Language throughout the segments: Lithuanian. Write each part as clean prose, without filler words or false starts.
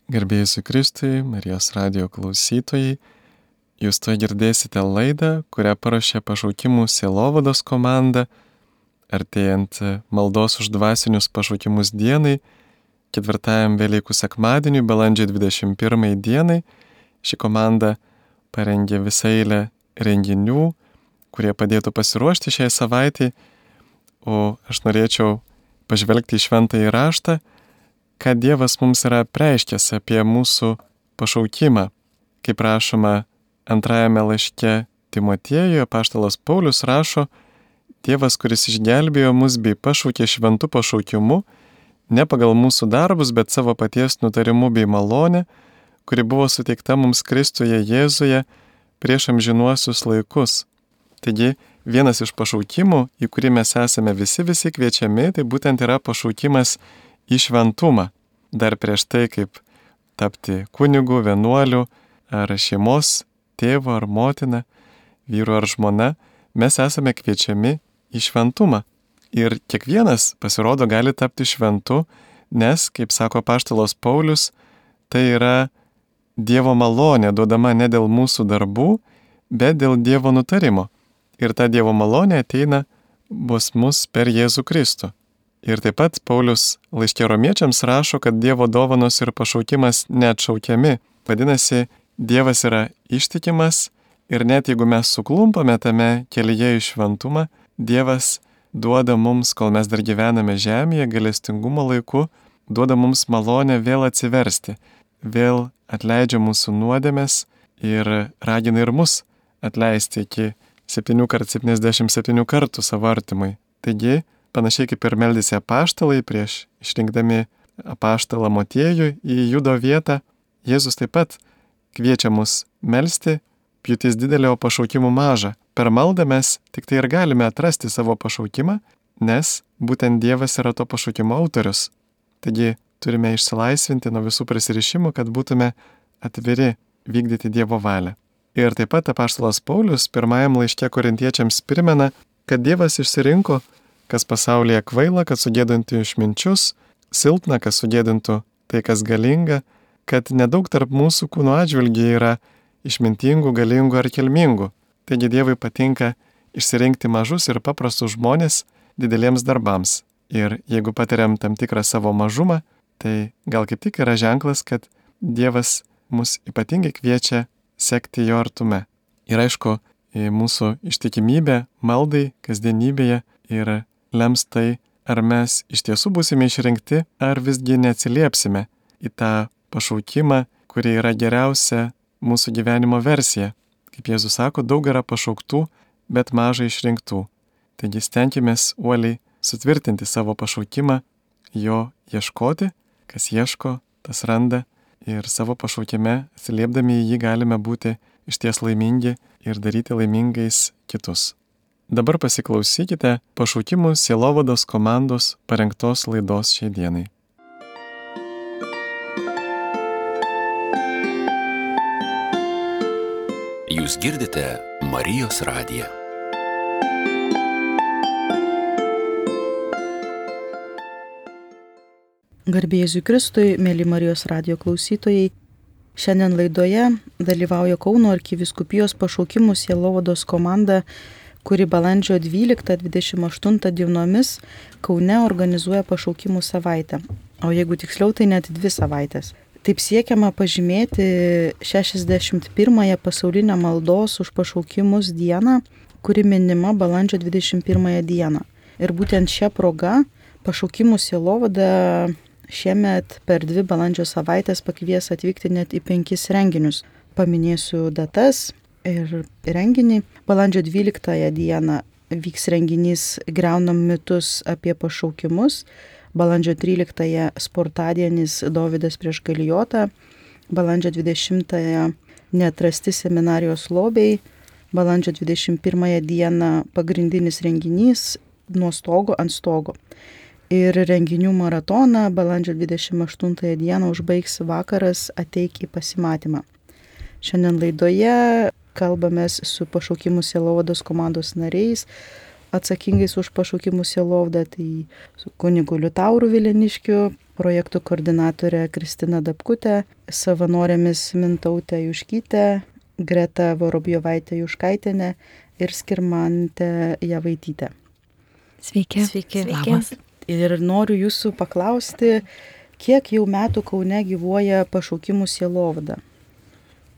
Garbėjai Jėzui Kristui, Marijos radijo klausytojai, jūs to girdėsite laidą, kurią paruošė Pašaukimų sielovados komanda, artėjant maldos už dvasinius pašaukimus dienai, 4 Velykų sekmadieniui, balandžio 21 dienai. Ši komanda parengė visą eilę renginių, kurie padėtų pasiruošti šiai savaitai, o aš norėčiau pažvelgti į šventąjį raštą, ką Dievas mums yra apreiškęs apie mūsų pašaukimą. Kaip rašoma 2 laiške Timotiejui, apaštalas Paulius rašo: Dievas, kuris išgelbėjo mus bei pašaukė šventu pašaukimu, ne pagal mūsų darbus, bet savo paties nutarimu bei malonę, kuri buvo suteikta mums Kristuje Jėzuje prieš amžinuosius laikus. Taigi, vienas iš pašaukimų, į kurį mes esame visi kviečiami, tai būtent yra pašaukimas į šventumą. Dar prieš tai, kaip tapti kunigu, vienuoliu, ar šeimos tėvu ar motina, vyru ar žmona, mes esame kviečiami į šventumą. Ir kiekvienas, pasirodo, gali tapti šventu, nes, kaip sako apaštalas Paulius, tai yra Dievo malonė duodama ne dėl mūsų darbų, bet dėl Dievo nutarimo. Ir ta Dievo malonė ateina bus mus per Jėzų Kristų. Ir taip pat Paulius laiške Romiečiams rašo, kad Dievo dovanos ir pašaukimas neatšaukiami. Vadinasi, Dievas yra ištikimas ir net jeigu mes suklumpame tame kelyje į šventumą, Dievas duoda mums, kol mes dar gyvename žemėje, gailestingumo laiku, duoda mums malonę vėl atsiversti, vėl atleidžia mūsų nuodėmes ir ragina ir mus atleisti iki 7x77 kartų savo artimui. Taigi, panašiai kaip ir meldėsi apaštalai prieš išrinkdami apaštalą Motiejų į Judo vietą, Jėzus taip pat kviečia mus melsti: pjūtis didelė, o pašaukimų maža. Per maldą mes tik tai ir galime atrasti savo pašaukimą, nes būtent Dievas yra to pašaukimo autorius. Taigi turime išsilaisvinti nuo visų prisirišimų, kad būtume atviri vykdyti Dievo valią. Ir taip pat apaštalas Paulius 1 laiške Korintiečiams primena, kad Dievas išsirinko, kas pasaulyje kvaila, kad sugėdintų išminčius, silpna, kas sugėdintų tai, kas galinga, kad nedaug tarp mūsų kūno atžvilgių yra išmintingų, galingų ar kilmingų. Taigi Dievui patinka išsirinkti mažus ir paprastus žmonės dideliems darbams. Ir jeigu patiriam tam tikrą savo mažumą, tai gal kaip tik yra ženklas, kad Dievas mus ypatingai kviečia sekti jo artume. Ir aišku, mūsų ištikimybė maldai kasdienybėje ir lems tai, ar mes iš tiesų būsime išrinkti, ar visgi neatsiliepsime į tą pašaukimą, kuri yra geriausia mūsų gyvenimo versija. Kaip Jėzus sako, daug yra pašauktų, bet mažai išrinktų. Taigi stenkimės uoliai sutvirtinti savo pašaukimą, jo ieškoti, kas ieško, tas randa, ir savo pašaukime atsiliepdami į jį galime būti išties laimingi ir daryti laimingais kitus. Dabar pasiklausykite Pašaukimų sielovados komandos parengtos laidos šiai dienai. Jūs girdite Marijos radiją. Garbė Jėzui Kristui, mėly Marijos radijo klausytojai. Šiandien laidoje dalyvauja Kauno arkivyskupijos Pašaukimų sielovados komanda, kuri balandžio 12-28 dienomis Kaune organizuoja pašaukimų savaitę. O jeigu tiksliau, tai net 2 savaitės. Taip siekiama pažymėti 61-ąją pasaulinę maldos už pašaukimus dieną, kuri minima balandžio 21 dieną. Ir būtent šią progą Pašaukimų sielovada šiemet per 2 balandžio savaitės pakvies atvykti net į 5 renginius. Paminėsiu datas ir renginį. Balandžio 12 dieną vyks renginys Griaunam mitus apie pašaukimus. Balandžio 13 sportadienis Dovydas prieš Galijotą. Balandžio 20 neatrasti seminarijos lobiai. Balandžio 21 dieną pagrindinis renginys Nuo stogo ant stogo. Ir renginių maratoną balandžio 28 dieną užbaigs vakaras Ateik į pasimatymą. Šiandien laidoje kalbamės su Pašaukimų sielovados komandos nariais, atsakingais už pašaukimų sielovadą, tai su kunigu Liutauru Vileniškiu, projektų koordinatorė Kristina Dapkutė, savanorėmis Mintautė Juškytė, Greta Vorobjovaitė Juškaitienė ir Skirmantė Javaitytė. Sveiki. Labas. Ir noriu jūsų paklausti, kiek jau metų Kaune gyvuoja pašaukimų sielovada?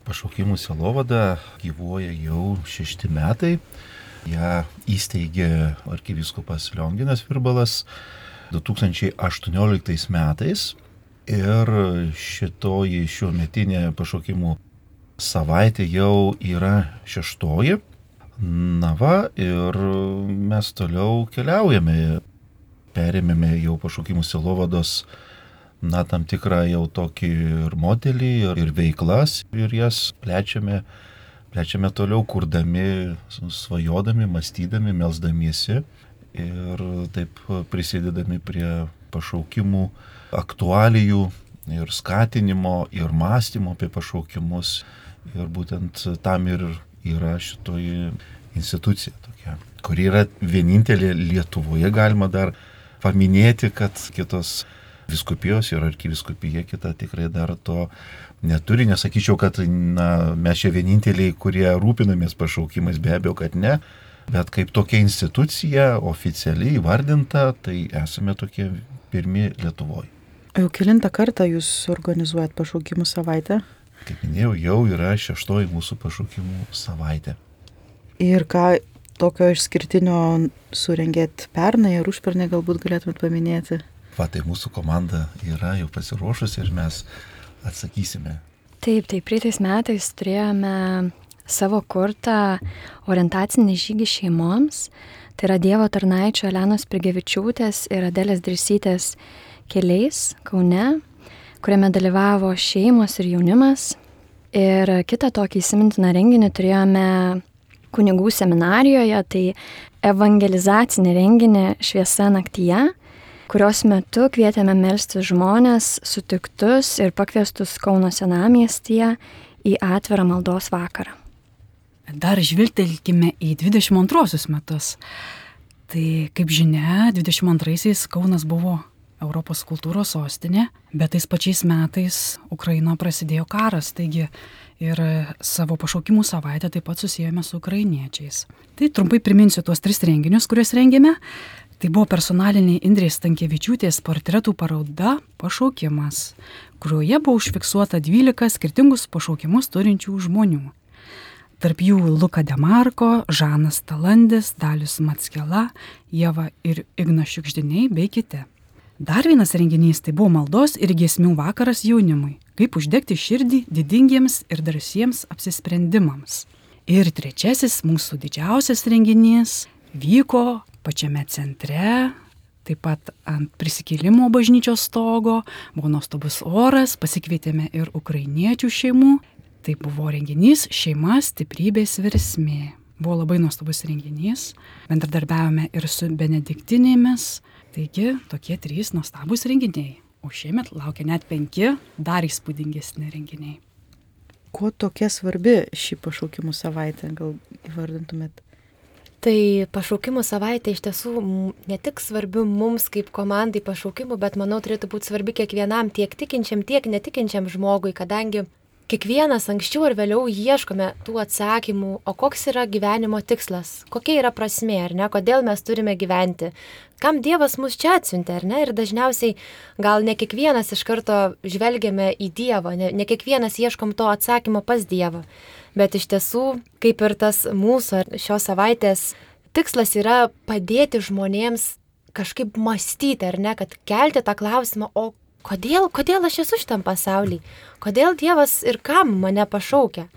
Pašaukimų sielovada gyvuoja jau 6 metai. Ja įsteigė arkivyskupas Lionginas Virbalas 2018 metais. Ir šitoji šiuometinė pašaukimų savaitė jau yra 6. Na va, ir mes toliau keliaujame. Perėmėme jau pašaukimų sielovados tam tikrą jau tokį ir modelį, ir veiklas, ir jas plečiame toliau, kurdami, svajodami, mąstydami, melsdamiesi ir taip prisidedami prie pašaukimų aktualijų ir skatinimo, ir mąstymo apie pašaukimus. Ir būtent tam ir yra šitoji institucija tokia, kuri yra vienintelė Lietuvoje, galima dar paminėti, kad kitos vyskupijos ir arkivyskupija kita tikrai dar to neturi. Nesakyčiau, kad mes čia vieninteliai, kurie rūpinamės pašaukimais, be abejo, kad ne, bet kaip tokia institucija oficialiai įvardinta, tai esame tokie pirmi Lietuvoje. Jau kelintą kartą jūs organizuojat pašaukimų savaitę? Kaip minėjau, jau yra 6 mūsų pašaukimų savaitė. Ir ką tokio išskirtinio surengėt pernai ar užpernai, galbūt galėtumėt paminėti? Tai mūsų komanda yra jau pasiruošusi ir mes atsakysime. Taip, praeitais metais turėjome savo kurtą orientacinį žygį šeimoms. Tai yra Dievo tarnaičio Elenos Prigevičiūtės ir Adelės Dirsytės keliais Kaune, kuriame dalyvavo šeimos ir jaunimas. Ir kitą tokį įsimintiną renginį turėjome kunigų seminarijoje, tai evangelizacinį renginį Šviesa naktyje, kurios metu kvietėme melstis žmonės sutiktus ir pakviestus Kauno senamiestyje į atvirą maldos vakarą. Dar žvilgtelkime į 22 metus. Tai, kaip žinia, 22-aisiais Kaunas buvo Europos kultūros sostinė, bet tais pačiais metais Ukrainoje prasidėjo karas, taigi ir savo pašaukimų savaitę taip pat susijome su ukrainiečiais. Tai trumpai priminsiu tuos 3 renginius, kuriuos rengėme. Tai buvo personalinė Indrės Stankevičiūtės portretų paroda Pašaukimas, kurioje buvo užfiksuota 12 skirtingus pašaukimus turinčių žmonių. Tarp jų Luka Demarko, Žanas Talandis, Dalius Mackela, Ieva ir Ignas Šiukšdiniai bei kiti. Dar vienas renginys tai buvo maldos ir giesmių vakaras jaunimui, kaip uždegti širdį didingiems ir drąsiems apsisprendimams. Ir 3 mūsų didžiausias renginys vyko pačiame centre, taip pat ant prisikėlimo bažnyčios stogo, buvo nuostabus oras, pasikvietėme ir ukrainiečių šeimų. Tai buvo renginys Šeima stiprybės versmė. Buvo labai nuostabus renginys, bendradarbiavome ir su benediktinėmis, taigi tokie 3 nuostabus renginiai. O šiemet laukia net 5 dar įspūdingesni renginiai. Kuo tokia svarbi ši pašaukimų savaitė, gal įvardintumėt? Tai pašaukimų savaitė iš tiesų ne tik svarbi mums kaip komandai pašaukimų, bet manau turėtų būti svarbi kiekvienam, tiek tikinčiam, tiek netikinčiam žmogui, kadangi kiekvienas anksčiau ar vėliau ieškome tų atsakymų, o koks yra gyvenimo tikslas, kokia yra prasmė, ar ne, kodėl mes turime gyventi, kam Dievas mus čia atsiuntė, ar ne, ir dažniausiai gal ne kiekvienas iš karto žvelgiame į Dievą, ne kiekvienas ieškom to atsakymo pas Dievą, bet iš tiesų, kaip ir tas mūsų šios savaitės tikslas yra padėti žmonėms kažkaip mąstyti, ar ne, kad kelti tą klausimą, o kodėl aš esu šitam pasaulyje, kodėl Dievas ir kam mane pašaukia.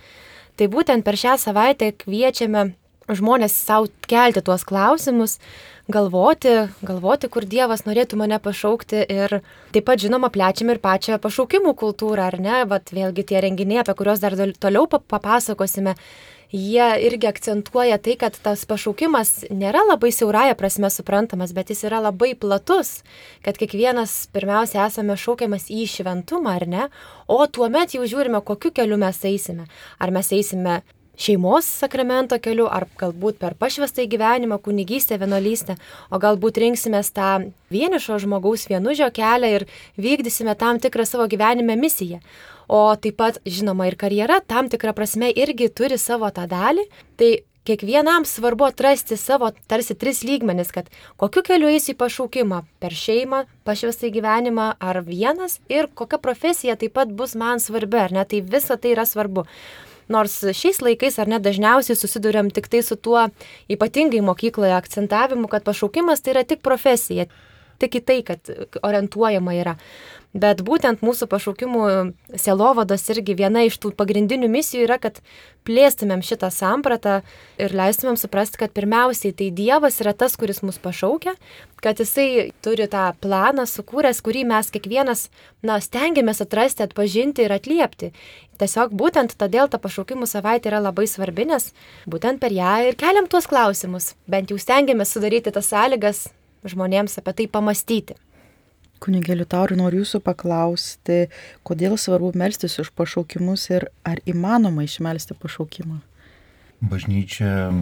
Tai būtent per šią savaitę kviečiame žmonės savo kelti tuos klausimus, galvoti, kur Dievas norėtų mane pašaukti ir taip pat žinoma plečiame ir pačią pašaukimų kultūrą, ar ne, vėlgi tie renginiai, apie kuriuos dar toliau papasakosime, jie irgi akcentuoja tai, kad tas pašaukimas nėra labai siaurąja prasme suprantamas, bet jis yra labai platus, kad kiekvienas pirmiausia esame šaukiamas į šventumą, ar ne, o tuomet jau žiūrime, kokiu keliu mes eisime. Ar mes eisime šeimos sakramento keliu, ar galbūt per pašvestąjį gyvenimą, kunigystę, vienuolystę, o galbūt rinksimės tą vienišo žmogaus vienužio kelią ir vykdysime tam tikrą savo gyvenime misiją. O taip pat, žinoma, ir karjera tam tikrą prasme irgi turi savo tą dalį. Tai kiekvienam svarbu atrasti savo tarsi 3 lygmenis, kad kokiu keliu eisiu į pašaukimą - per šeimą, pašvestąjį gyvenimą ar vienas ir kokia profesija taip pat bus man svarbi, ar ne, tai visa tai yra svarbu. Nors šiais laikais ar ne dažniausiai susiduriam tik tai su tuo ypatingai mokykloje akcentavimu, kad pašaukimas tai yra tik profesija, tik į tai, kad orientuojama yra. Bet būtent mūsų pašaukimų sielovados irgi viena iš tų pagrindinių misijų yra, kad plėstumėm šitą sampratą ir leistumėm suprasti, kad pirmiausiai tai Dievas yra tas, kuris mus pašaukia, kad Jisai turi tą planą sukūręs, kurį mes kiekvienas stengiamės atrasti, atpažinti ir atliepti. Tiesiog būtent todėl ta pašaukimų savaitė yra labai svarbi, nes būtent per ją ir keliam tuos klausimus, bent jau stengiamės sudaryti tas sąlygas žmonėms apie tai pamastyti. Kunigė Liutaurai, noriu jūsų paklausti, kodėl svarbu melstis už pašaukimus ir ar įmanoma išmelsti pašaukimą? Bažnyčia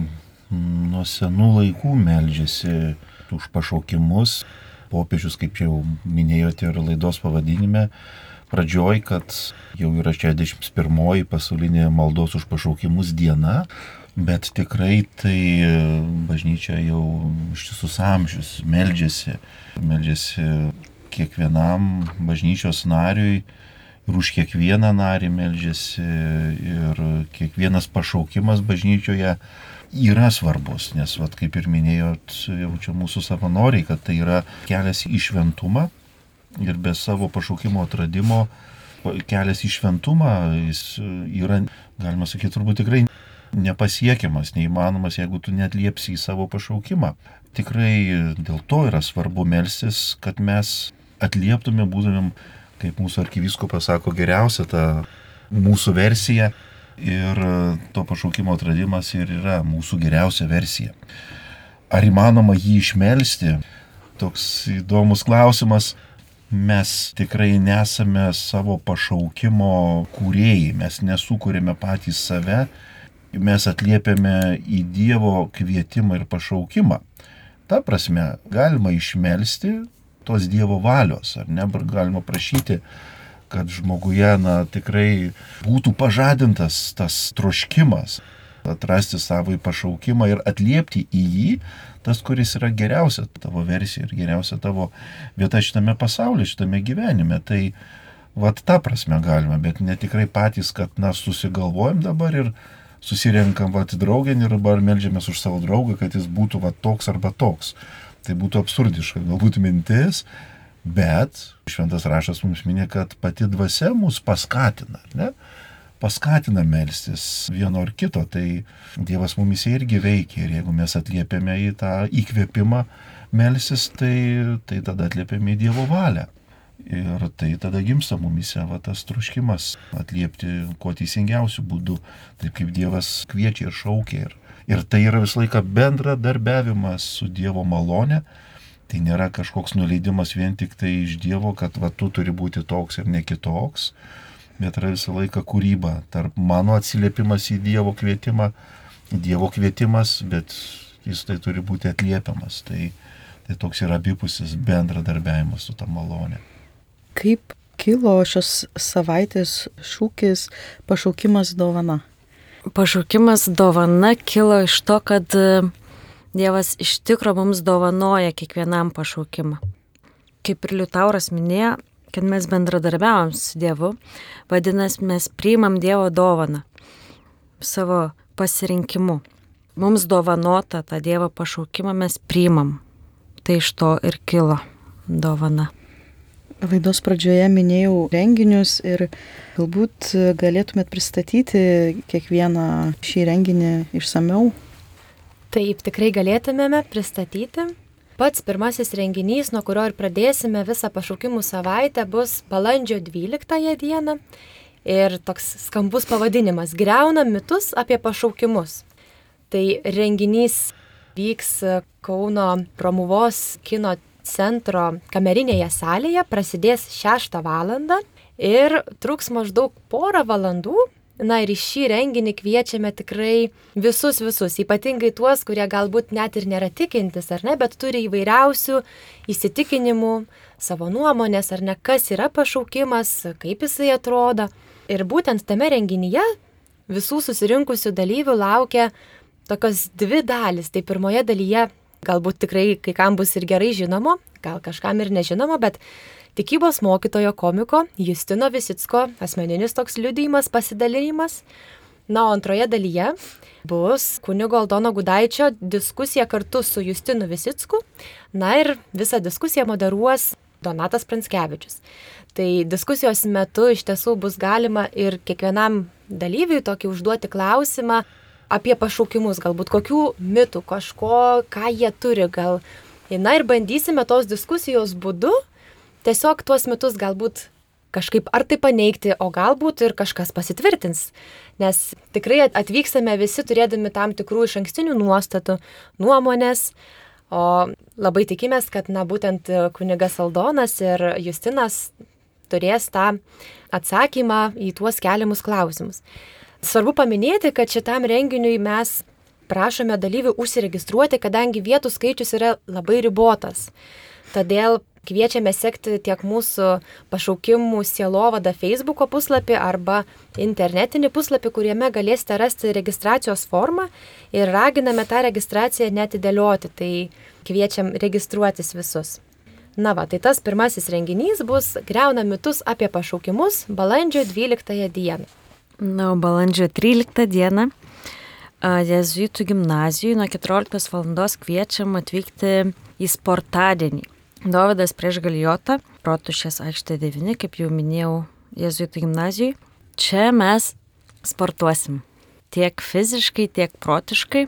nuo senų laikų meldžiasi už pašaukimus. Popiežius, kaip jau minėjote ir laidos pavadinime, pradžioj, kad jau yra 61 pasaulinė maldos už pašaukimus diena, bet tikrai tai bažnyčia jau ištisus amžius meldžiasi kiekvienam bažnyčios nariui ir už kiekvieną narį meldžiasi ir kiekvienas pašaukimas bažnyčioje yra svarbus, nes, kaip ir minėjot, jau čia mūsų savanoriai, kad tai yra kelias į šventumą ir be savo pašaukimo atradimo kelias į šventumą jis yra, galima sakyti, turbūt tikrai nepasiekiamas, neįmanomas, jeigu tu neatliepsi į savo pašaukimą. Tikrai dėl to yra svarbu melstis, kad mes atlieptume, būtumėm, kaip mūsų arkivyskupas sako, geriausia ta mūsų versija ir to pašaukimo atradimas ir yra mūsų geriausia versija. Ar įmanoma jį išmelsti? Toks įdomus klausimas. Mes tikrai nesame savo pašaukimo kūrėjai, mes nesukūrėme patys save, mes atliepiame į Dievo kvietimą ir pašaukimą. Ta prasme, galima išmelsti tos Dievo valios, ar ne, galima prašyti, kad žmoguje tikrai būtų pažadintas tas troškimas, atrasti savo pašaukimą ir atliepti į jį, tas, kuris yra geriausia tavo versija ir geriausia tavo vieta šitame pasaulyje, šitame gyvenime. Tai ta prasme galima, bet ne tikrai patys, kad susigalvojam dabar ir susirenkam draugėn ir dabar meldžiamės už savo draugą, kad jis būtų toks arba toks. Tai būtų absurdiška, galbūt mintis, bet šventas raštas mums minė, kad pati dvasia mus paskatina, ne? Paskatina melstis vieno ar kito, tai Dievas mumise irgi veikia ir jeigu mes atliepiame į tą įkvėpimą melstis, tai tada atliepiame į Dievo valią. Ir tai tada gimsta mumise tas troškimas atliepti kuo teisingiausių būdų, taip kaip Dievas kviečia ir šaukia. Ir tai yra visą laiką bendradarbiavimas su Dievo malone. Tai nėra kažkoks nuleidimas vien tik tai iš Dievo, kad tu turi būti toks ir ne kitoks, bet yra visą laiką kūryba tarp mano atsiliepimas į Dievo kvietimą, Dievo kvietimas, bet jis tai turi būti atliepiamas. Tai toks yra abipusis bendradarbiavimas su ta malone. Kaip kilo šios savaitės šūkis pašaukimas dovana? Pašaukimas dovana kilo iš to, kad Dievas iš tikro mums dovanoja kiekvienam pašaukimą. Kaip ir Liutauras minėjo, kad mes bendradarbiavom su Dievu, vadinasi, mes priimam Dievo dovaną savo pasirinkimu. Mums dovanota tą Dievo pašaukimą mes priimam. Tai iš to ir kilo dovana. Laidos pradžioje minėjau renginius ir galbūt galėtumėt pristatyti kiekvieną šį renginį išsamiau. Taip, tikrai galėtumėme pristatyti. Pats pirmasis renginys, nuo kurio ir pradėsime visą pašaukimų savaitę, bus balandžio 12 dieną. Ir toks skambus pavadinimas – Griauna mitus apie pašaukimus. Tai renginys vyks Kauno Romuvos kino centro kamerinėje salėje, prasidės 6 valandą ir truks maždaug porą valandų. Na ir į šį renginį kviečiame tikrai visus, ypatingai tuos, kurie galbūt net ir nėra tikintis, ar ne, bet turi įvairiausių įsitikinimų, savo nuomonės, ar ne, kas yra pašaukimas, kaip jisai atrodo. Ir būtent tame renginyje visų susirinkusių dalyvių laukia tokios dvi dalys. Tai pirmoje dalyje galbūt tikrai kai kam bus ir gerai žinomo, gal kažkam ir nežinomo, bet tikybos mokytojo komiko Justino Visicko asmeninis toks liudijimas, pasidalinimas. Na, o antroje dalyje bus kunigo Aldono Gudaičio diskusija kartu su Justinu Visicku. Na ir visą diskusiją moderuos Donatas Pranskevičius. Tai diskusijos metu iš tiesų bus galima ir kiekvienam dalyviui tokį užduoti klausimą apie pašaukimus, galbūt kokių mitų, kažko, ką jie turi gal. Na ir bandysime tos diskusijos būdu tiesiog tuos mitus galbūt kažkaip ar tai paneigti, o galbūt ir kažkas pasitvirtins. Nes tikrai atvykstame visi turėdami tam tikrų išankstinių nuostatų, nuomonės, o labai tikimės, kad būtent kunigas Aldonas ir Justinas turės tą atsakymą į tuos keliamus klausimus. Svarbu paminėti, kad šitam renginiui mes prašome dalyvių užsiregistruoti, kadangi vietų skaičius yra labai ribotas. Todėl kviečiame sekti tiek mūsų pašaukimų sielovada Facebooko puslapį arba internetinį puslapį, kuriame galėsite rasti registracijos formą ir raginame tą registraciją netidėlioti, tai kviečiam registruotis visus. Na va, tai tas pirmasis renginys bus Griauna mitus apie pašaukimus balandžio 12 dieną. Na, balandžio 13 dieną Jėzuitų gimnazijoje nuo 14 val. Kviečiam atvykti į sportadienį. Dovydas prieš Galijotą, Rotušės aikštė 9, kaip jau minėjau, Jėzuitų gimnazijoje. Čia mes sportuosim tiek fiziškai, tiek protiškai.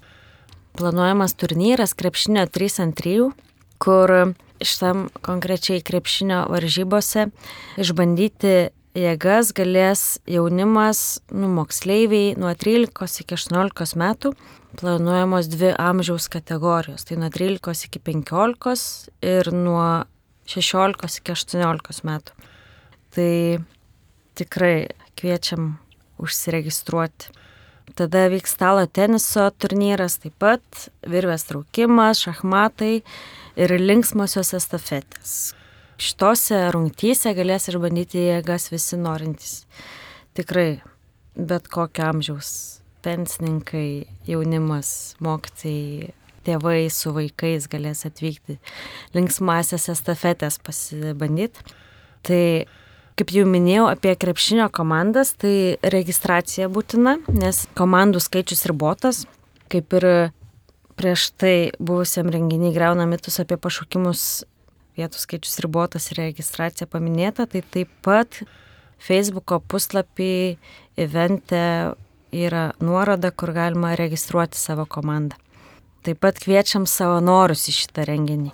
Planuojamas turnyras krepšinio 3x3, kur šitam konkrečiai krepšinio varžybose išbandyti jėgas galės jaunimas, moksleiviai nuo 13 iki 18 metų. Planuojamos 2 amžiaus kategorijos, tai nuo 13 iki 15 ir nuo 16 iki 18 metų. Tai tikrai kviečiam užsiregistruoti. Tada vyks stalo teniso turnyras, taip pat virvės traukimas, šachmatai ir linksmosios estafetės. Šitose rungtyse galės išbandyti jėgas visi norintys. Tikrai bet kokio amžiaus. Pensininkai, jaunimas, mokytojai, tėvai su vaikais galės atvykti linksmąsias estafetės pasibandyti. Tai, kaip jau minėjau apie krepšinio komandas, tai registracija būtina, nes komandų skaičius ribotas. Kaip ir prieš tai buvusiam renginiui Griauna mitus apie pašaukimus, vietų skaičius ribotas ir registracija paminėta, tai taip pat Facebooko puslapį evente yra nuoroda, kur galima registruoti savo komandą. Taip pat kviečiam savanorius į šitą renginį.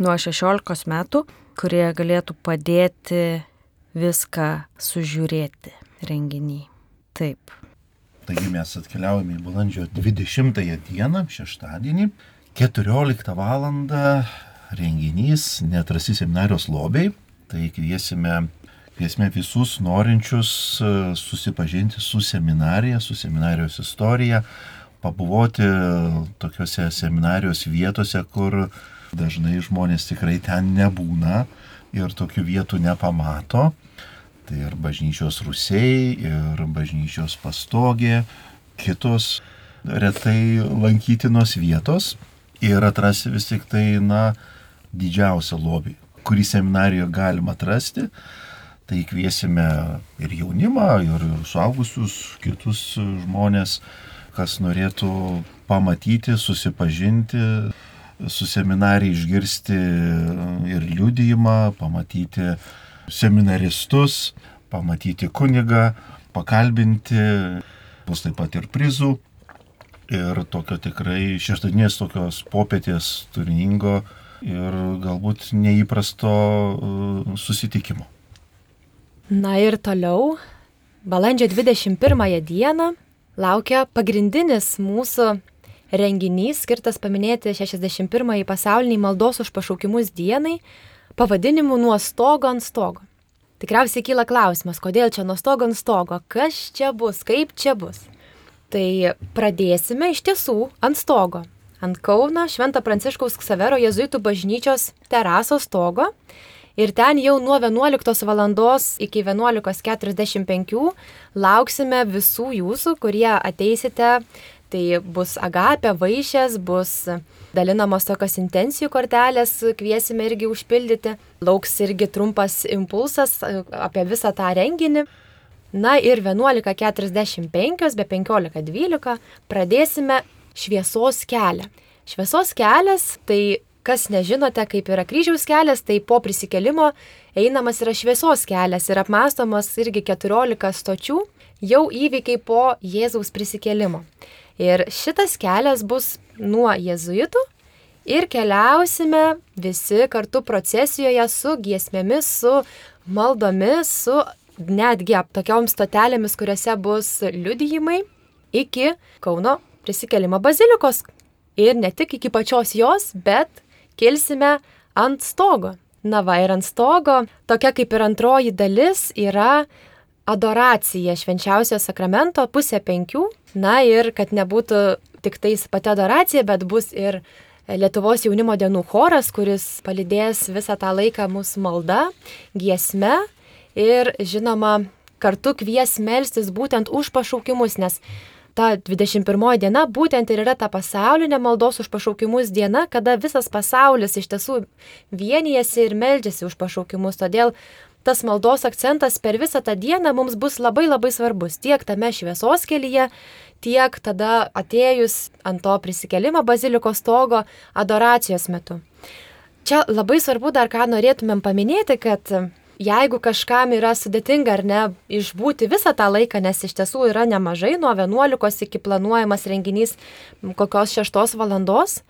Nuo 16 metų, kurie galėtų padėti viską sužiūrėti renginį. Taip. Taigi mes atkeliaujame į balandžio 20 dieną, šeštadienį, 14 val. Renginys Neatrasti seminarijos lobiai. Tai kviesime visus norinčius susipažinti su seminarija, su seminarijos istorija, pabuvoti tokiuose seminarijos vietose, kur dažnai žmonės tikrai ten nebūna ir tokių vietų nepamato. Tai ir bažnyčios rūsiai, ir bažnyčios pastogė, kitos retai lankytinos vietos. Ir atrasti vis tik tai, didžiausią lobį, kurį seminarijoje galima atrasti. Tai kviesime ir jaunimą, ir suaugusius, kitus žmonės, kas norėtų pamatyti, susipažinti su seminarija, išgirsti ir liudijimą, pamatyti seminaristus, pamatyti kunigą, pakalbinti, bus taip pat ir prizų. Ir tokio tikrai šeštadienės tokios popietės turiningo ir galbūt neįprasto susitikimo. Na ir toliau, balandžio 21 dieną laukia pagrindinis mūsų renginys, skirtas paminėti 61-ąjį pasaulinį maldos už pašaukimus dienai, pavadinimu Nuo stogo ant stogo. tikriausiai kyla klausimas, kodėl čia nuo stogo ant stogo, kas čia bus, kaip čia bus. Tai pradėsime iš tiesų ant stogo, ant Kauno Švento Pranciškaus Ksavero jėzuitų bažnyčios terasos stogo. Ir ten jau nuo 11 valandos iki 11:45 lauksime visų jūsų, kurie ateisite. Tai bus agapė, vaišės, bus dalinamos tokios intencijų kortelės, kviesime irgi užpildyti. Lauks irgi trumpas impulsas apie visą tą renginį. Na ir 11:45 be 15:12 pradėsime šviesos kelią. Šviesos kelias, tai kas nežinote, kaip yra kryžiaus kelias, tai po prisikėlimo einamas yra šviesos kelias ir apmąstomas irgi 14 stočių, jau įvykiai po Jėzaus prisikėlimo. Ir šitas kelias bus nuo jėzuitų ir keliausime visi kartu procesijoje su giesmėmis, su maldomis, su netgi tokiom stotelėmis, kuriuose bus liudijimai iki Kauno prisikėlimo bazilikos. Ir ne tik iki pačios jos, bet kilsime ant stogo. Na va, ir ant stogo, tokia kaip ir antroji dalis, yra adoracija švenčiausio sakramento 4:30. Na ir kad nebūtų tik tais pati adoracija, bet bus ir Lietuvos jaunimo dienų choras, kuris palydės visą tą laiką mūsų malda, giesme ir žinoma kartu kvies melstis būtent už pašaukimus, nes ta 21 diena būtent ir yra ta pasaulinė maldos už pašaukimus diena, kada visas pasaulis iš tiesų vienijasi ir meldžiasi už pašaukimus. Todėl tas maldos akcentas per visą tą dieną mums bus labai labai svarbus. Tiek tame šviesos kelyje, tiek tada atėjus ant to prisikėlimo bazilikos stogo adoracijos metu. Čia labai svarbu dar ką norėtumėm paminėti, kad jeigu kažkam yra sudėtinga ar ne išbūti visą tą laiką, nes iš tiesų yra nemažai, nuo 11 iki planuojamas renginys kokios 6 valandos,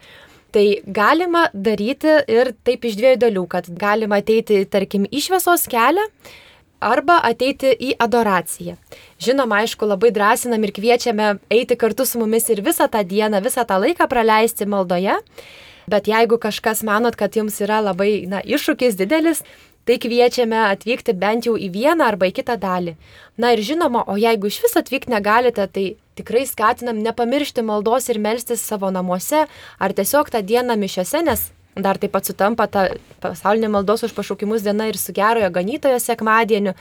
tai galima daryti ir taip iš 2 dalių, kad galima ateiti, tarkim, į šviesos kelią arba ateiti į adoraciją. Žinoma, aišku, labai drąsinam ir kviečiame eiti kartu su mumis ir visą tą dieną, visą tą laiką praleisti maldoje, bet jeigu kažkas manot, kad jums yra labai iššūkis didelis, tai kviečiame atvykti bent jau į vieną arba į kitą dalį. Na ir žinoma, o jeigu iš vis atvykti negalite, tai tikrai skatinam nepamiršti maldos ir melstis savo namuose ar tiesiog tą dieną mišiose, nes dar taip pat sutampa ta pasaulinė maldos už pašaukimus diena ir su gerojo ganytojo sekmadieniu.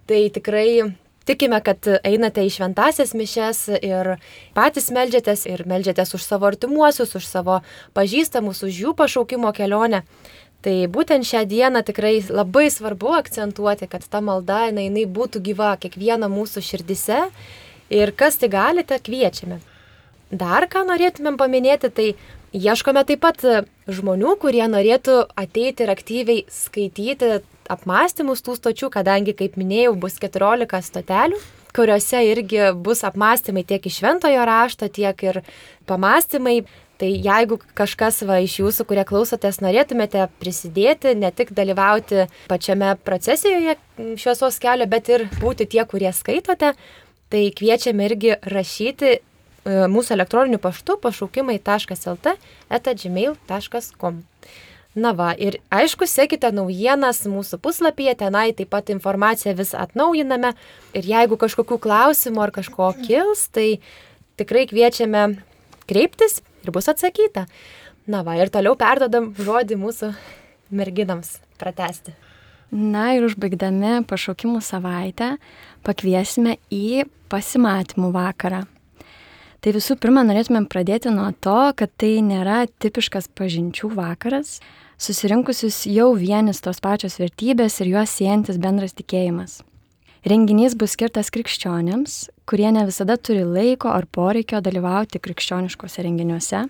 Tai tikrai tikime, kad einate į šventąsias mišias ir patys meldžiatės ir meldžiatės už savo artimuosius, už savo pažįstamus, už jų pašaukimo kelionę. Tai būtent šią dieną tikrai labai svarbu akcentuoti, kad ta malda jinai būtų gyva kiekvieno mūsų širdise ir kas tai galite, kviečiame. Dar ką norėtumėm paminėti, tai ieškome taip pat žmonių, kurie norėtų ateiti ir aktyviai skaityti apmąstymus tų stočių, kadangi, kaip minėjau, bus 14 stotelių, kuriuose irgi bus apmąstymai tiek iš šventojo rašto, tiek ir pamąstymai. Tai jeigu kažkas iš jūsų, kurie klausotės, norėtumėte prisidėti, ne tik dalyvauti pačiame procesijoje šviesos kelio, bet ir būti tie, kurie skaitote, tai kviečiame irgi rašyti mūsų elektroniniu paštu pašaukimai.lt@gmail.com. Na va, ir aišku, sekite naujienas mūsų puslapyje, tenai taip pat informaciją vis atnaujiname ir jeigu kažkokių klausimų ar kažko kils, tai tikrai kviečiame kreiptis ir bus atsakyta. Na va, ir toliau perdodam žodį mūsų merginams pratęsti. Na ir užbaigdami pašaukimų savaitę pakviesime į pasimatymų vakarą. Tai visų pirma, norėtumėm pradėti nuo to, kad tai nėra tipiškas pažinčių vakaras, susirinkusius jau vienis tos pačios vertybės ir juos siejantis bendras tikėjimas. Renginys bus skirtas krikščionėms, kurie ne visada turi laiko ar poreikio dalyvauti krikščioniškose renginiuose,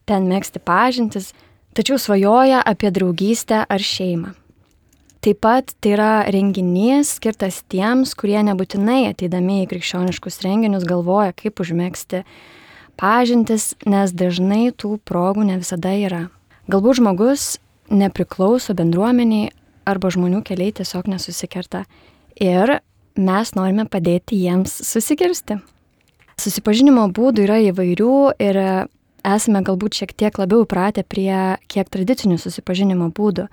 ten megzti pažintis, tačiau svajoja apie draugystę ar šeimą. Taip pat tai yra renginys skirtas tiems, kurie nebūtinai ateidami į krikščioniškus renginius galvoja, kaip užmegzti pažintis, nes dažnai tų progų ne visada yra. Galbūt žmogus nepriklauso bendruomeniai arba žmonių keliai tiesiog nesusikerta ir mes norime padėti jiems susikirsti. Susipažinimo būdų yra įvairių ir esame galbūt šiek tiek labiau įpratę prie kiek tradicinių susipažinimo būdų.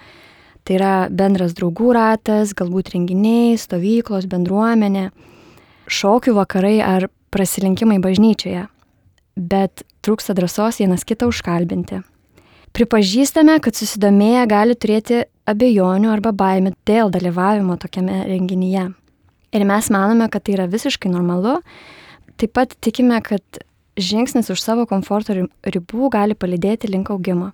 Tai Tai yra bendras draugų ratas, galbūt renginiai, stovyklos, bendruomenė, šokių vakarai ar prasilenkimai bažnyčioje. Bet trūksta drąsos vienas kitą užkalbinti. Pripažįstame, kad susidomėję gali turėti abejonių arba baimių dėl dalyvavimo tokiame renginyje. Ir mes manome, kad tai yra visiškai normalu. Taip pat tikime, kad žingsnis už savo komforto ribų gali palydėti link augimo.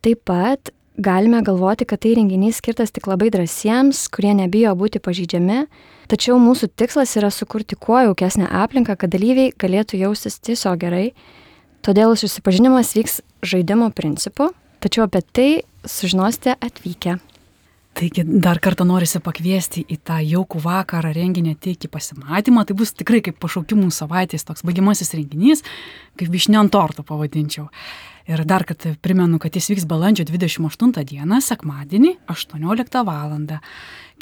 Taip pat galime galvoti, kad tai renginys skirtas tik labai drąsiems, kurie nebijo būti pažeidžiami, tačiau mūsų tikslas yra sukurti kuo jaukesnę aplinką, kad dalyviai galėtų jaustis tiesiog gerai. Todėl susipažinimas vyks žaidimo principu, tačiau apie tai sužinosite atvykę. Taigi dar kartą norisi pakviesti į tą jaukų vakarą renginį ateik į pasimatymą. Tai bus tikrai kaip pašaukimų savaitės toks baigiamasis renginys, kaip vyšnia ant torto pavadinčiau. Ir dar kartą primenu, kad jis vyks balandžio 28 dieną, sekmadienį, 18 val.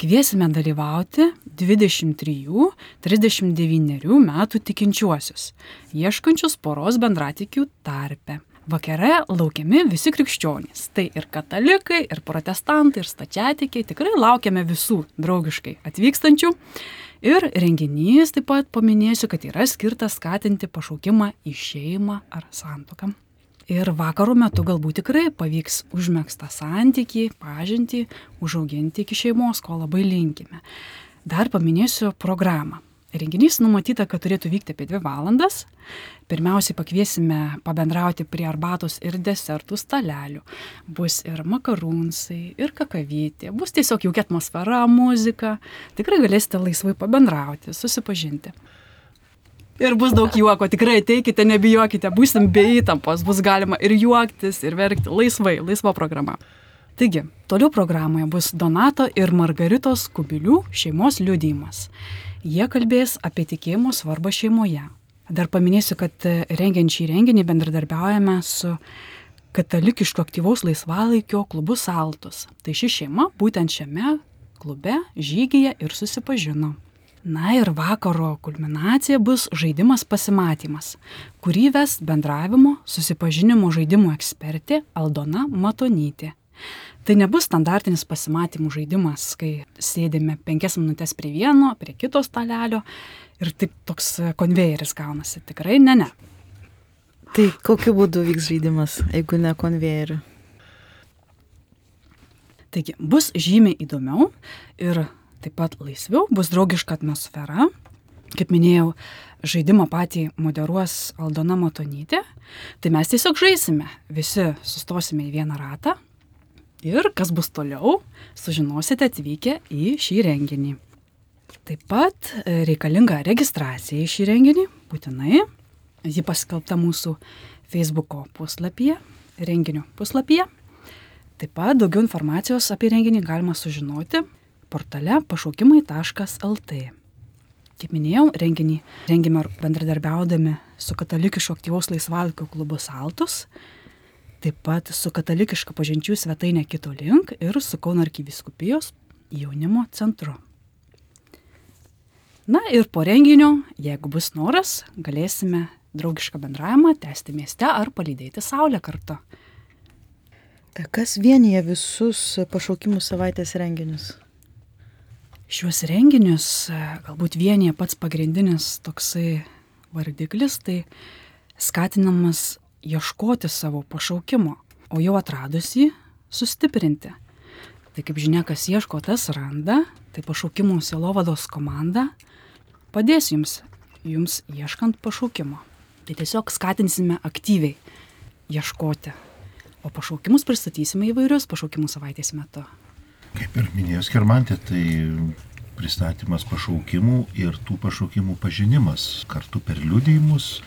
Kviesime dalyvauti 23-39 metų tikinčiuosius, ieškančius poros bendratikių tarpe. Vakare laukiami visi krikščionys. Tai ir katalikai, ir protestantai, ir stačiatikiai. Tikrai laukiame visų draugiškai atvykstančių. Ir renginys taip pat paminėsiu, kad yra skirtas skatinti pašaukimą į šeimą ar santuoką. Ir vakaro metu galbūt tikrai pavyks užmegztą santykį, pažintį, užauginti iki šeimos, ko labai linkime. Dar paminėsiu programą. Renginys numatyta, kad turėtų vykti apie 2 valandas. Pirmiausiai pakviesime pabendrauti prie arbatos ir desertų stalelių. Bus ir makarūnsai, ir kakavytė. Bus tiesiog jaukia atmosfera, muzika. Tikrai galėsite laisvai pabendrauti, susipažinti. Ir bus daug juoko, tikrai ateikite, nebijokite, būsim be įtampos, bus galima ir juoktis, ir verkti laisvai, laisva programa. Taigi, toliau programoje bus Donato ir Margaritos Kubilių šeimos liudijimas. Jie kalbės apie tikėjimo svarbą šeimoje. Dar paminėsiu, kad rengiant šį renginį bendradarbiaujame su katalikišku aktyvaus laisvalaikio klubu Saltus. Tai ši šeima būtent šiame klube žygyje ir susipažino. Na ir vakaro kulminacija bus žaidimas pasimatymas, kurį ves bendravimo susipažinimo žaidimų ekspertė Aldona Matonytė. Tai nebus standartinis pasimatymų žaidimas, kai sėdime 5 minutės prie vieno, prie kito stalelio ir taip toks konvejeris gaunasi. Tikrai ne. Tai kokiu būdu vyks žaidimas, jeigu ne konvejeriu? Taigi bus žymiai įdomiau ir taip pat laisviau, bus draugiška atmosfera. Kaip minėjau, žaidimą patį moderuos Aldona Matonytė. Tai mes tiesiog žaisime, visi sustosime į vieną ratą. Ir kas bus toliau, sužinosite atvykę į šį renginį. Taip pat reikalinga registracija į šį renginį, būtinai. Ji paskelbta mūsų Facebooko puslapyje, renginio puslapyje. Taip pat daugiau informacijos apie renginį galima sužinoti portale pašaukimai.lt. Kaip minėjau, renginį rengime bendradarbiaudami su katalikišku aktyvaus laisvalaikio klubu Saltus, taip pat su katalikiška pažinčių svetainė Kito Link ir su Kauno arkivyskupijos jaunimo centru. Na ir po renginio, jeigu bus noras, galėsime draugišką bendravimą tęsti mieste ar palydėti saulę kartu. Kas vienyje visus pašaukimų savaitės renginius? Šiuos renginius galbūt vienyje pats pagrindinis toksai vardiklis, tai skatinamas ieškoti savo pašaukimo, o jau atradus jį sustiprinti. Tai kaip žinia, kas ieško, tas randa, tai pašaukimų sielovados komanda padės jums ieškant pašaukimo. Tai tiesiog skatinsime aktyviai ieškoti, o pašaukimus pristatysime įvairius pašaukimų savaitės metu. Kaip ir minėjo Skirmantė, tai pristatymas pašaukimų ir tų pašaukimų pažinimas kartu per liudijimus,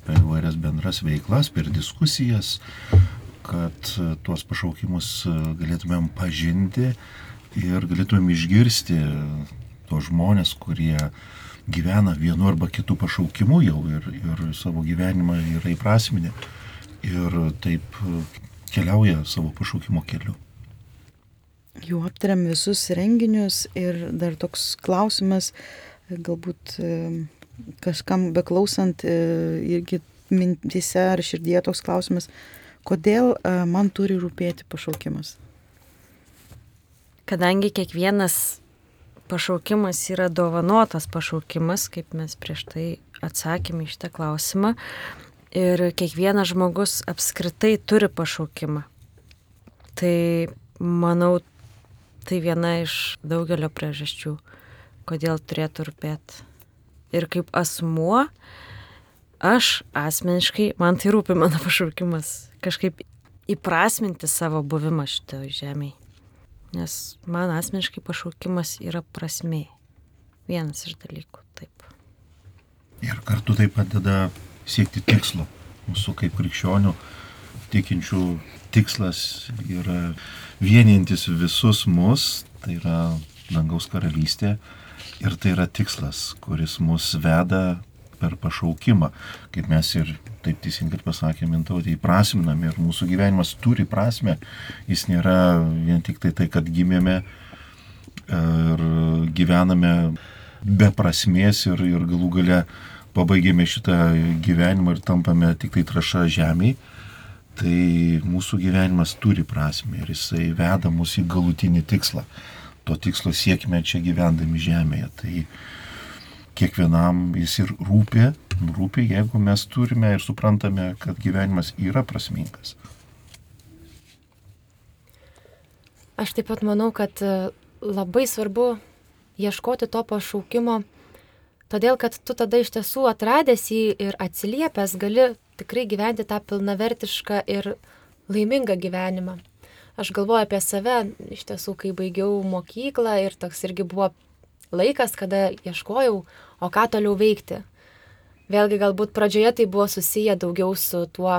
per įvairias bendras veiklas, per diskusijas, kad tuos pašaukimus galėtumėm pažinti ir galėtumėm išgirsti tos žmonės, kurie gyvena vienu arba kitu pašaukimu jau ir savo gyvenimą yra įprasminę ir taip keliauja savo pašaukimo keliu. Jau aptariam visus renginius ir dar toks klausimas, galbūt kažkam beklausant irgi mintise ar širdyje toks klausimas, kodėl man turi rūpėti pašaukimas? kadangi kiekvienas pašaukimas yra dovanotas pašaukimas, kaip mes prieš tai atsakėme į šitą klausimą, ir kiekvienas žmogus apskritai turi pašaukimą. Tai manau, tai viena iš daugelio priežasčių, kodėl turėtų rūpėti. Ir kaip asmuo, aš asmeniškai, man tai rūpi mano pašaukimas, kažkaip įprasminti savo buvimą šitoje žemėje. Nes man asmeniškai pašaukimas yra prasmė. Vienas iš dalykų, taip. Ir kartu tai padeda siekti tikslo. Mūsų kaip krikščionių tikinčių tikslas yra vienintis visus mus, tai yra dangaus karalystė. Ir tai yra tikslas, kuris mus veda per pašaukimą. Kaip mes ir taip teisingai pasakėme, Mintautė, įprasminame ir mūsų gyvenimas turi prasmę. Jis nėra vien tik tai, kad gimėme ir gyvename be prasmės ir galų gale pabaigėme šitą gyvenimą ir tampame tik tai trąša žemėje. Tai mūsų gyvenimas turi prasmę ir jisai veda mus į galutinį tikslą. To tikslo siekime čia gyvendami žemėje. Tai kiekvienam jis ir rūpi, jeigu mes turime ir suprantame, kad gyvenimas yra prasmingas. Aš taip pat manau, kad labai svarbu ieškoti to pašaukimo, todėl kad tu tada iš tiesų atradęs jį ir atsiliepęs gali tikrai gyventi tą pilnavertišką ir laimingą gyvenimą. Aš galvoju apie save, iš tiesų, kai baigiau mokyklą ir toks irgi buvo laikas, kada ieškojau, o ką toliau veikti. Vėlgi galbūt pradžioje tai buvo susiję daugiau su tuo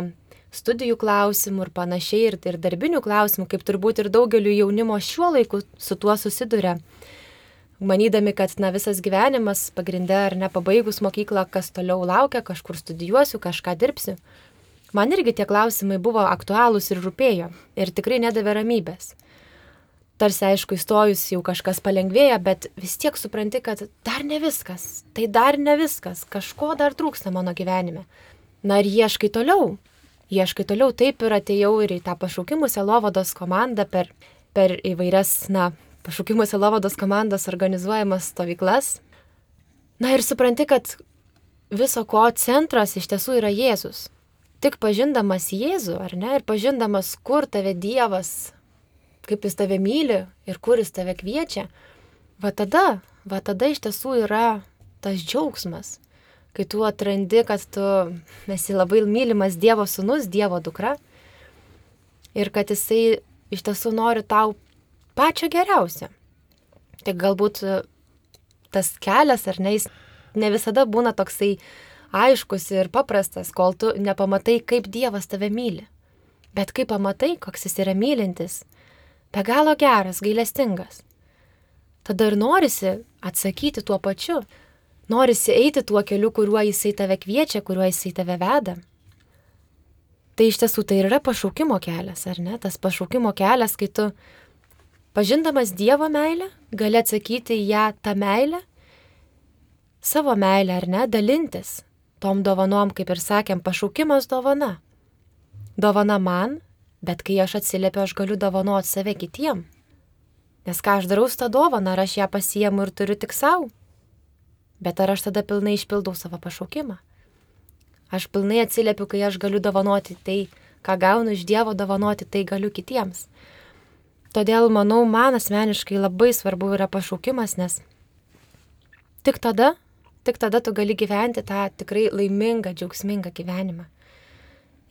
studijų klausimu ir panašiai, ir darbinių klausimų, kaip turbūt ir daugeliu jaunimo šiuo laiku su tuo susiduria. Manydami, kad visas gyvenimas pagrinde ar nepabaigus mokyklą, kas toliau laukia, kažkur studijuosiu, kažką dirbsiu. Man irgi tie klausimai buvo aktualūs ir rūpėjo ir tikrai nedavė ramybės. Tarsi aišku, įstojus jau kažkas palengvėja, bet vis tiek supranti, kad dar ne viskas, tai dar ne viskas, kažko dar trūksta mano gyvenime. Na ir ieškai toliau, taip ir atėjau ir į tą pašaukimų sielovados komandą per įvairias, pašaukimų sielovados komandos organizuojamas stovyklas. Na ir supranti, kad viso ko centras iš tiesų yra Jėzus. Tik pažindamas Jėzų, ar ne, ir pažindamas, kur tave Dievas, kaip jis tave myli ir kur jis tave kviečia, va tada iš tiesų yra tas džiaugsmas, kai tu atrandi, kad tu esi labai mylimas Dievo sūnus, Dievo dukra ir kad jisai iš tiesų nori tau pačio geriausio. Tik galbūt tas kelias, ar ne, jis ne visada būna toksai aiškus ir paprastas, kol tu nepamatai, kaip Dievas tave myli. Bet kai pamatai, koks jis yra mylintis, be galo geras, gailestingas, tada ir norisi atsakyti tuo pačiu. Norisi eiti tuo keliu, kuriuo jisai tave kviečia, kuriuo jisai tave veda. Tai iš tiesų tai yra pašaukimo kelias, ar ne? Tas pašaukimo kelias, kai tu, pažindamas Dievo meilę, gali atsakyti į ją tą meilę, savo meilę, ar ne, dalintis tom dovanom, kaip ir sakėm, pašaukimas dovana. Dovana man, bet kai aš atsiliepiu, aš galiu dovanoti save kitiem. Nes ką aš darau su tą dovaną, ar aš ją pasiimu ir turiu tik savo? Bet ar aš tada pilnai išpildau savo pašaukimą? Aš pilnai atsiliepiu, kai aš galiu dovanoti tai, ką gaunu iš Dievo, dovanoti tai galiu kitiems. Todėl, manau, man asmeniškai labai svarbu yra pašaukimas, nes tik tada tu gali gyventi tą tikrai laimingą, džiaugsmingą gyvenimą.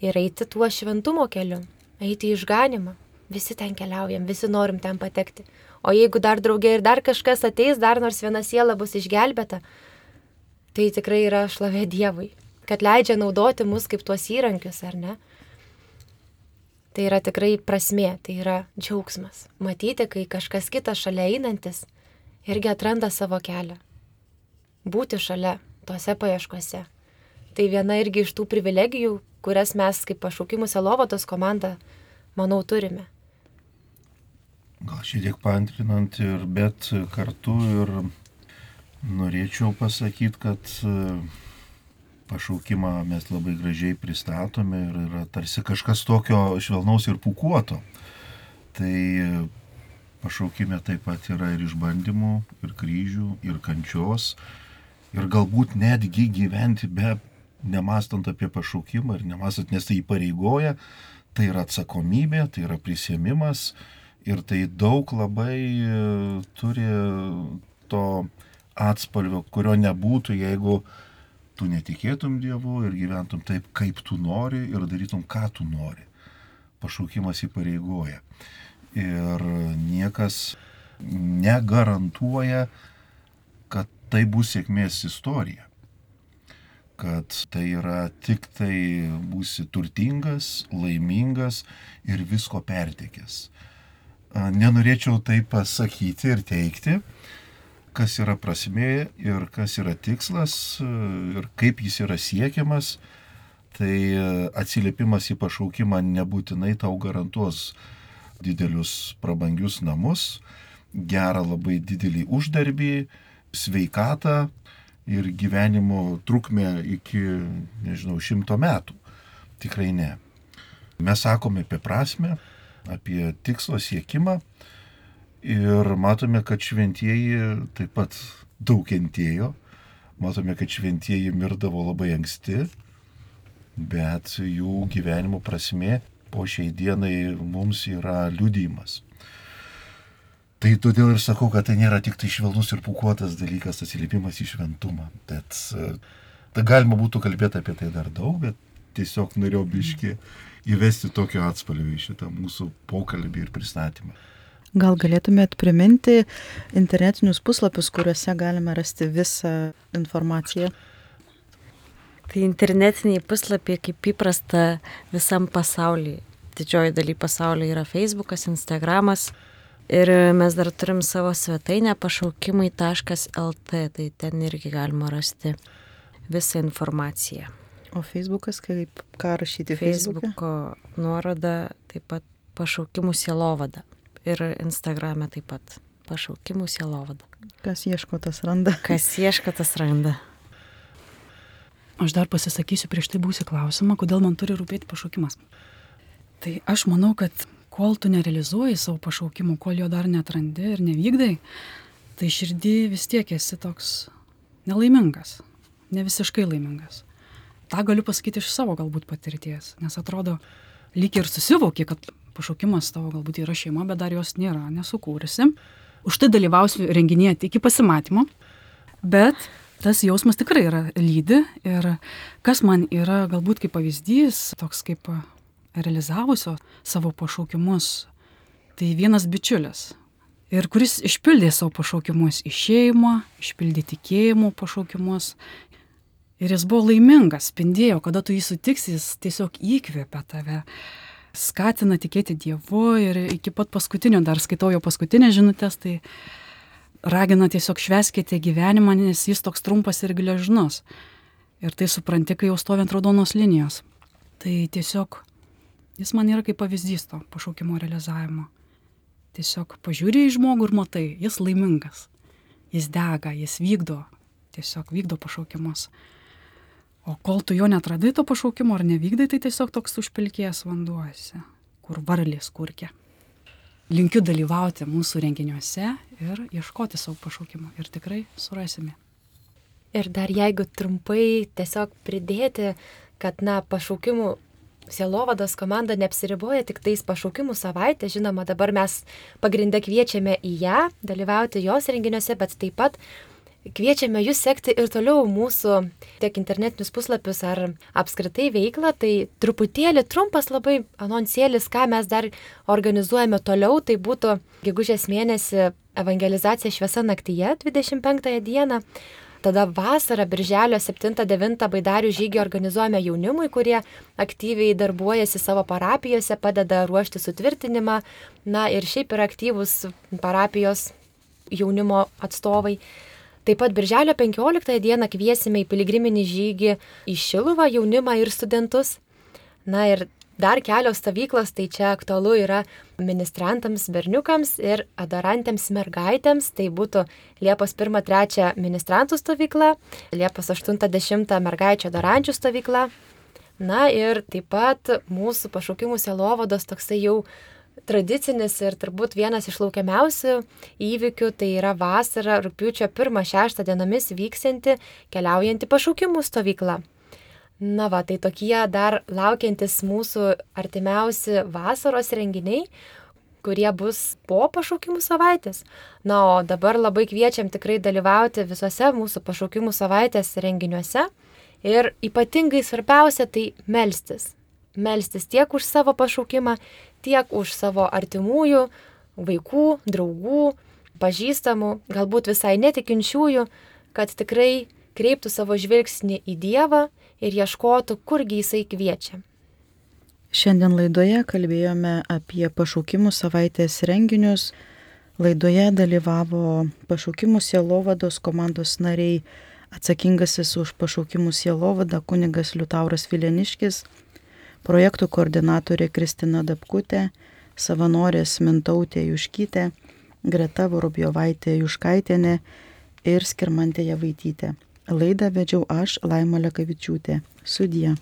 Ir eiti tuo šventumo keliu, eiti į išganimą. Visi ten keliaujam, visi norim ten patekti. O jeigu dar draugė ir dar kažkas ateis, dar nors viena siela bus išgelbėta, tai tikrai yra šlovė Dievui, kad leidžia naudoti mus kaip tuos įrankius, ar ne? Tai yra tikrai prasmė, tai yra džiaugsmas. Matyti, kai kažkas kitas šalia einantis irgi atranda savo kelią. Būti šalia tose paieškose. Tai viena irgi iš tų privilegijų, kurias mes kaip pašaukimų sielovados komanda, manau, turime. Gal šiek tiek paantrinant, bet kartu ir norėčiau pasakyti, kad pašaukimą mes labai gražiai pristatome ir yra tarsi kažkas tokio švelnaus ir pūkuoto. Tai Pašaukime taip pat yra ir išbandymų, ir kryžių, ir kančios, ir galbūt netgi gyventi be nemastant apie pašaukimą ir nemastant, nes tai įpareigoja, tai yra atsakomybė, tai yra prisiėmimas ir tai daug labai turi to atspalvio, kurio nebūtų, jeigu tu netikėtum Dievu ir gyventum taip, kaip tu nori ir darytum, ką tu nori. Pašaukimas įpareigoja. Ir niekas negarantuoja, kad tai bus sėkmės istorija. Kad tai yra tik tai būsi turtingas, laimingas ir visko pertekęs. Nenorėčiau tai pasakyti ir teikti, kas yra prasmė ir kas yra tikslas ir kaip jis yra siekiamas. Tai atsiliepimas į pašaukimą nebūtinai tau garantuos didelius prabangius namus, gerą labai didelį uždarbį, sveikatą ir gyvenimo trukmę iki, 100 metų. Tikrai ne. Mes sakome apie prasmę, apie tikslo siekimą ir matome, kad šventieji taip pat daug kentėjo. Matome, kad šventieji mirdavo labai anksti, bet jų gyvenimo prasmė po šiai dienai mums yra liudijimas. Tai todėl ir sakau, kad tai nėra tik tai švelnus ir pūkuotas dalykas, atsiliepimas į šventumą. Bet tai galima būtų kalbėti apie tai dar daug, bet tiesiog norėjau biškį įvesti tokio atspalvio į šitą mūsų pokalbį ir pristatymą. Gal galėtumėt priminti internetinius puslapius, kuriuose galime rasti visą informaciją? Tai internetiniai puslapiai, kaip įprasta visam pasaulyje. Didžioji daly pasaulyje yra Facebookas, Instagramas. Ir mes dar turim savo svetainę pašaukimai.lt, tai ten irgi galima rasti visą informaciją. O Facebookas, ką rašyti Facebook'e? Facebooko nuoroda taip pat pašaukimų sielovada. Ir Instagrame taip pat pašaukimų sielovada. Kas ieško, tas randa. Kas ieško, tas randa. Aš dar pasisakysiu prieš tai būsį klausimą, kodėl man turi rūpėti pašaukimas. Tai aš manau, kad kol tu nerealizuoji savo pašaukimų, kol jo dar neatrandi ir nevykdai, tai širdį vis tiek esi toks nelaimingas, ne visiškai laimingas. Ta galiu pasakyti iš savo galbūt patirties, nes atrodo, lyg ir susivoki, kad pašaukimas tavo galbūt yra šeima, bet dar jos nėra, nesukūrusi. Už tai dalyvausiu renginyje iki pasimatymo, bet tas jausmas tikrai yra lydi ir kas man yra galbūt kaip pavyzdys, toks kaip realizavusio savo pašaukimus, tai vienas bičiulis. Ir kuris išpildė savo pašaukimus į šeimą, išpildė tikėjimo pašaukimus. Ir jis buvo laimingas, spindėjo, kada tu jį sutiksi, jis tiesiog įkvėpia tave, skatina tikėti Dievu ir iki pat paskutinio, dar skaitau jo paskutinės žinutės, tai ragina tiesiog švęskite gyvenimą, nes jis toks trumpas ir gležnus. Ir tai supranti, kai jau stovi ant raudonos linijos. Tai tiesiog jis man yra kaip pavyzdys to pašaukimo realizavimo. Tiesiog pažiūrė į žmogų ir matai, jis laimingas, jis dega, jis tiesiog vykdo pašaukimus. O kol tu jo netradai to pašaukimo ar nevykdai, tai tiesiog toks užpilkėjęs vanduosi, kur varlės kurkia. Linkiu dalyvauti mūsų renginiuose ir ieškoti savo pašaukimo ir tikrai surasime. Ir dar jeigu trumpai tiesiog pridėti, kad pašaukimų sielovados komanda neapsiriboja tik tais pašaukimų savaitę, žinoma, dabar mes pagrindę kviečiame į ją, dalyvauti jos renginiuose, bet taip pat kviečiame jūs sekti ir toliau mūsų tiek internetinius puslapius ar apskritai veiklą, tai truputėlį trumpas labai anonsėlis, ką mes dar organizuojame toliau, tai būtų gegužės mėnesį evangelizacija šviesa naktyje 25 dieną, tada vasarą birželio 7-9 baidarių žygį organizuojame jaunimui, kurie aktyviai darbuojasi savo parapijose, padeda ruošti sutvirtinimą, ir šiaip yra aktyvūs parapijos jaunimo atstovai. Taip pat birželio 15 dieną kviesime į piligriminį žygį į Šiluvą jaunimą ir studentus. Ir dar kelios stovyklos, tai čia aktualu yra ministrantams berniukams ir adorantėms mergaitėms. Tai būtų Liepos 1-3 ministrantų stovykla, Liepos 8-10 mergaičių adorančių stovykla. Ir taip pat mūsų pašaukimų sielovados toksai jau tradicinis ir turbūt vienas iš laukiamiausių įvykių, tai yra vasarą rugpjūčio 1-6 dienomis vyksianti keliaujanti pašaukimų stovykla. Na va, tai tokie dar laukiantis mūsų artimiausi vasaros renginiai, kurie bus po pašaukimų savaitės. Na, o dabar labai kviečiam tikrai dalyvauti visose mūsų pašaukimų savaitės renginiuose. Ir ypatingai svarbiausia tai melstis. Melstis tiek už savo pašaukimą, tiek už savo artimųjų, vaikų, draugų, pažįstamų, galbūt visai netikinčiųjų, kad tikrai kreiptų savo žvilgsnį į Dievą ir ieškotų, kurgi Jisai kviečia. Šiandien laidoje kalbėjome apie pašaukimų savaitės renginius. Laidoje dalyvavo pašaukimų sielovados komandos nariai, atsakingasis už pašaukimų sielovadą kunigas Liutauras Vileniškis, projektų koordinatorė Kristina Dapkutė, savanorės Mintautė Juškytė, Greta Vorobjovaitė Juškaitienė ir Skirmantė Javaitytė. Laidą vedžiau aš, Laima Lekavičiūtė. Sudie.